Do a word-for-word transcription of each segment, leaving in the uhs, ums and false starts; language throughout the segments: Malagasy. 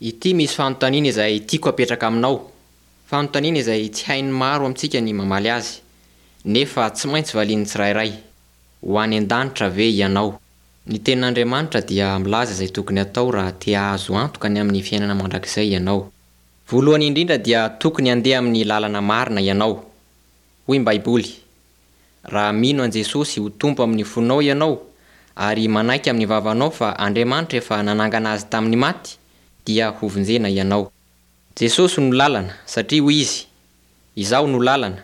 Ity misy fanontaniana izay tiako apetraka aminao. Fanontaniana izay tsy hain'ny maro amintsika ny mamaly azy, nefa tsy maintsy valian'ny tsirairay. Ho any an-danitra ve ianao? Ny tenin'Andriamanitra dia milaza izay tokony atao raha te hahazo antoka ny amin'ny fiainana mandrakizay ianao. Voalohany indrindra dia tokony handeha amin'ny lalana marina ianao. Hoy ny Baiboly: Raha mino an'i Jesosy ho Tompo amin'ny fonao ianao ary manaiky amin'ny vavanao fa Andriamanitra efa nanangana azy tamin'ny maty, dia hovonjena ianao. Jesosy no lalana, satria hoy izy: Izaho no lalana,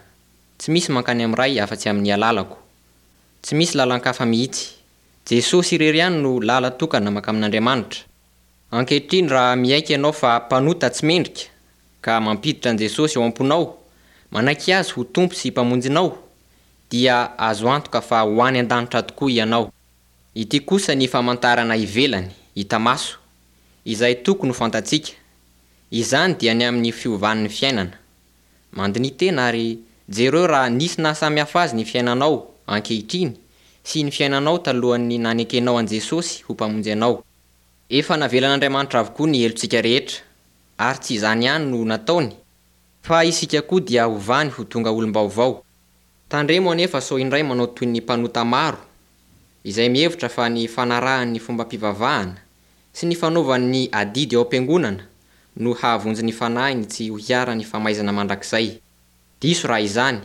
tsy misy mankany amin'ny Ray afa-tsy amin'ny alalako. Tsy misy lalan-kafa mihitsy. Jesosy irery ihany no lala-tokana mankamin'Andriamanitra. Ankehitriny raha miaiky ianao fa mpanota tsy mendrika ka mampiditra an'i Jesosy ao am-ponao, manaiky azy ho Tompo sy Mpamonjinao, dia azo antoka fa ho any an-danitra tokoa ianao. Ity kosa ny famantarana ivelany, hita maso, izay tokony ho fantatsika. Izany dia ny amin'ny fiovan'ny fiainana. Mandiniha tena ary jereo raha nisy nahasamihafa azy ny fiainanao ankehitriny sy ny fiainanao talohan'ny nanekenao an'i Jesosy ho Mpamonjy anao. Efa navelan'Andriamanitra avokoa ny helotsika rehetra, ary tsy izany ihany no nataony, fa isika koa dia hovany ho tonga olom-baovao. Tandremo anefa sao indray manao toy ny mpanota maro, izay mihevitra fa ny fanarahany ny fombam-pivavahana sy ny fanaovany ny adidy ao am-piangonana no hahavonjy ny fanahiny tsy ho hiharan'ny famaizana mandrakizay. Diso raha izany,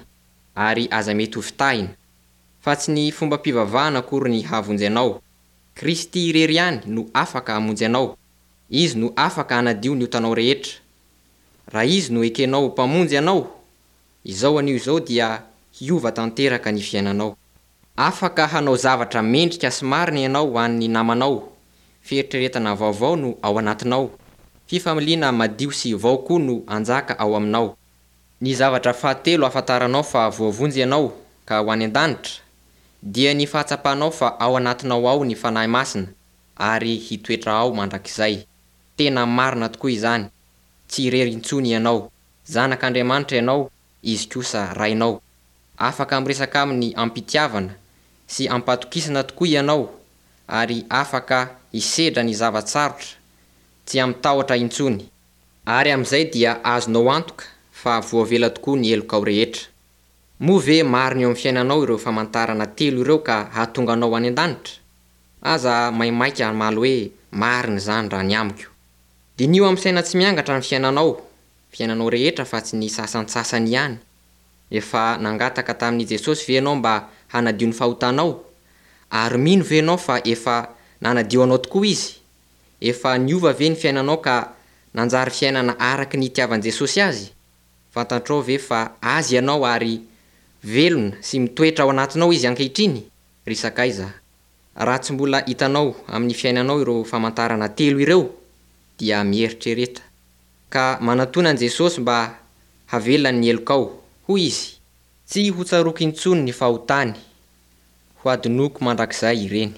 ary aza mety ho fitahina, fa tsy ny fombam-pivavahana akory ny hahavonjy anao. Kristy irery ihany no afaka hamonjy anao. Izy no afaka hanadio ny otanao rehetra. Raha izy no ekenao ho Mpamonjy anao, izao anio izao dia hiova tanteraka ny fiainanao. Afaka hanao zavatra mendrika sy marina ianao ho an'ny namanao. Fieritreretana vaovao no ao anatinao. Fifamaliana madio sy vao koa no anjaka ao aminao. Ny zavatra fahatelo ahafantaranao fa voavonjy ianao ka ho any an-danitra, dia ny fahatsapanao fa ao anatinao ao ny Fanahy Masina ary hitoetra ao mandrakizay. Tena marina tokoa izany. Tsy irery intsony ianao. Zanak'Andriamanitra ianao, izy kosa Rainao. Afaka miresaka aminy am-pitiavana sy am-patokisana tokoa ianao ary afaka hisedra ny zava-tsarotra, tsy amin-tahotra intsony. Ary amin'izay dia azonao antoka fa voavela tokoa ny helokao rehetra. Moa ve marina eo amin'ny fiainanao ireo famantarana telo ireo ka hahatonga anao any an-danitra? Aza maimaika hamaly hoe marina izany raha ny amiko. Diniho amin'ny saina tsy miangatra ny fiainanao, fiainanao rehetra fa tsy ny sasantsasany ihany. Efa nangataka tamin'i Jesosy ve ianao mba hanadio ny fahotanao? Ary mino ve ianao fa efa nanadio anao tokoa izy? Efa niova ve ny fiainanao ka nanjary fiainana araka ny itiavan'i Jesosy azy? Fantatrao ve fa azy ianao ary velona sy mitoetra ao anatinao izy ankehitriny? Ry sakaiza, raha tsy mbola hitanao amin'ny fiainanao ireo famantarana telo ireo, dia mieritrereta. Ka manatona an'i Jesosy mba havelany ny helokao, hoy izy. Tsy ho tsaroako intsony ny fahotany, ho adinoko mandrakizay ireny.